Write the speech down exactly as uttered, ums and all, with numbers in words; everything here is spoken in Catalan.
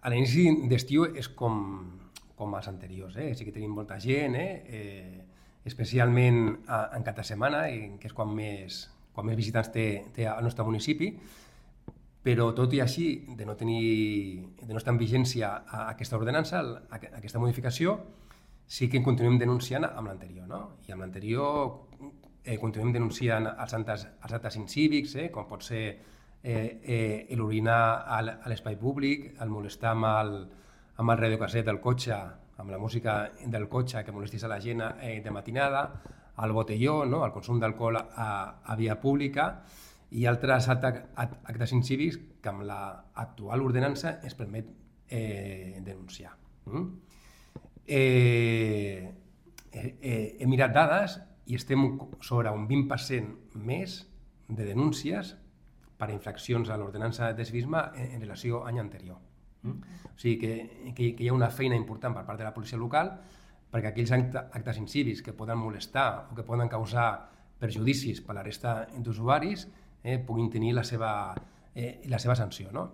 A l'inici d'estiu és com, com els anteriors, eh? Sí que tenim molta gent, eh? Eh, especialment a, en cap de setmana, que és quan més, quan més visitants té, té el nostre municipi, però tot i així, de no, tenir, de no estar en vigència a aquesta ordenança, a aquesta modificació, sí que continuem denunciant amb l'anterior, no? I amb l'anterior eh, continuem denunciant els actes, els actes incívics, eh, com pot ser eh, eh, l'orinar a l'espai públic, el molestar amb el, amb el radiocasset del cotxe, amb la música del cotxe que molestis a la gent eh, de matinada, el botelló, no? El consum d'alcohol a, a via pública i altres actes incívics que amb l'actual ordenança es permet eh, denunciar. Mm? Eh, eh, he mirat dades i estem sobre un vint per cent més de denúncies per infraccions a l'ordenança de civisme en, en relació a l'any anterior. Mm? O sigui que, que, que hi ha una feina important per part de la policia local perquè aquells actes incívics que poden molestar o que poden causar perjudicis per a la resta d'usuaris eh, puguin tenir la seva, eh, la seva sanció. No?